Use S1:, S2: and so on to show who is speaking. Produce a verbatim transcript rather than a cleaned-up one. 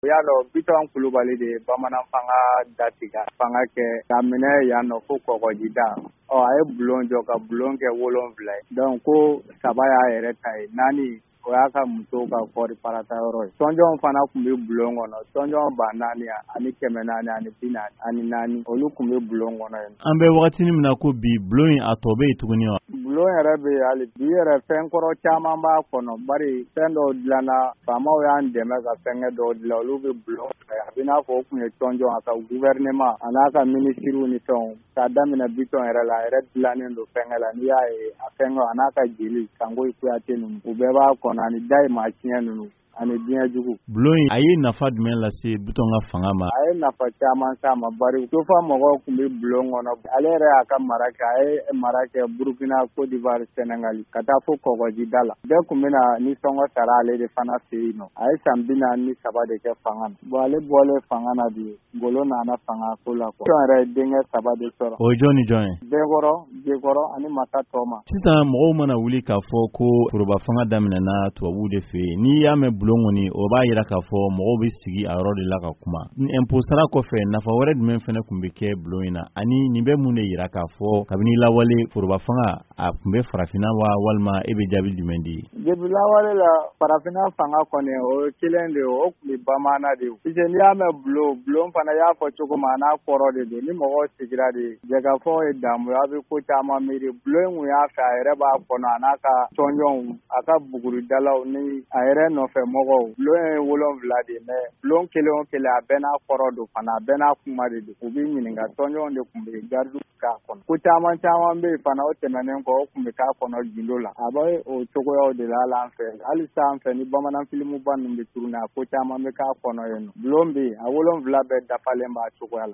S1: I y'a dɔn, Bitɔn Kulubali de ye bamanan fanga datigɛ, fanga kɛ ka minɛ yan nɔ fo kɔgɔjida. Ɔ, a ye bulon jɔ ka bulon kɛ wolonwula ye. Donc ko saba y'a yɛrɛ ta ye, naani o y'a ka musow ka kɔɔri parata yɔrɔ ye. Tɔnjɔnw fana tun bɛ bulon kɔnɔ, tɔnjɔn ba naani ani kɛmɛ naani ani bi naani ani naani, olu tun bɛ bulon kɔnɔ yen.
S2: An bɛ wagati min na ko bi, bulon in a tɔ bɛ yen tuguni wa?
S1: Bulon yɛrɛ bɛ yen hali bi yɛrɛ, fɛn kɔrɔ caman b'a kɔnɔ, bari fɛn dɔw dilanna, faamaw y'an dɛmɛ ka fɛnkɛ dɔw dilan, olu bɛ bulon fɛ. A bɛ n'a fɔ o tun ye tɔnjɔn, a ka gouvernement a n'a ka minisiriw ni fɛnw, k'a daminɛ Bitɔn yɛrɛ la, a yɛrɛ dilannen don fɛnkɛ la. N'i y'a ye a fɛnkɛ a n'a ka jeli Kangoyi Kuyate ninnu, u bɛɛ b'a kɔnɔ, ani dayi maa tiɲɛ ninnu ani diɲɛ jugu.
S2: Bulon in, a ye nafa jumɛn lase Bitɔn ka fanga ma?
S1: A ye nafa caman s'a ma, bari Tofa mɔgɔw tun bɛ bulon kɔnɔ. Ale yɛrɛ y'a ka mara kɛ, a ye mara kɛ Burukina, Côte d'Ivoire, Sénégal, ka taa fo kɔgɔjida la. Bɛɛ tun bɛna nisɔngɔ sara ale de fana fɛ yen nɔ. A ye san bi naani ni saba de kɛ fanga na. Bon, ale bɔlen fanga na bi, Ngolo nana fanga ko la quoi. Bitɔn yɛrɛ ye denkɛ saba de sɔrɔ.
S2: O ye jɔn ni jɔn ye?
S1: Denkɔrɔ, Jekɔrɔ ani Masa Tɔma.
S2: Sisan mɔgɔw mana wuli k'a fɔ ko foroba fanga daminɛna tubabuw de fɛ yen, n'i y'a mɛn bulon kɔni, o b'a yira k'a fɔ mɔgɔw bɛ sigi a yɔrɔ de la ka kuma. Impôt sara kɔfɛ, nafa wɛrɛ jumɛn fana tun bɛ kɛ bulon in na? Ani nin bɛ mun de yira k'a fɔ kabini lawale foroba fanga a tun bɛ farafinna wa, walima e bɛ jaabi jumɛn di?
S1: Depuis lawale la, farafinna fanga kɔni, o ye kelen de ye, o tun bɛ bamanan de ye. Puisque n'i y'a mɛn bulon, bulon fana, i y'a fɔ cogo min, a n'a kɔrɔ de don. Ni mɔgɔw sigira de, jɛkafɔ ye damu ye, aw bɛ ko caman miiri. Bulon in kun y'a fɛ, a yɛrɛ b'a kɔnɔ, a n'a ka tɔnjɔnw, a ka buguridalaw ni a yɛrɛ nɔfɛ mɔgɔw. Bulon ye wolonwula de ye, mais bulon kelen o kelen, a bɛɛ n'a kɔrɔ don fana, a bɛɛ n'a kuma de don. U b'i ɲininka, tɔnjɔnw de tun bɛ gardiw k'a kɔnɔ. Ko caman caman bɛ yen fana, o tɛmɛnen kɔ, o tun bɛ k'a kɔnɔ gindo la. A bɛ o cogoyaw de la hali an fɛ. Hali sisan an fɛ, ni bamanan filimuba ninnu bɛ tourner, a ko caman bɛ k'a kɔnɔ yen nɔ. Bulon bɛ yen, a wolonwula bɛɛ dafalen b'a cogoya la.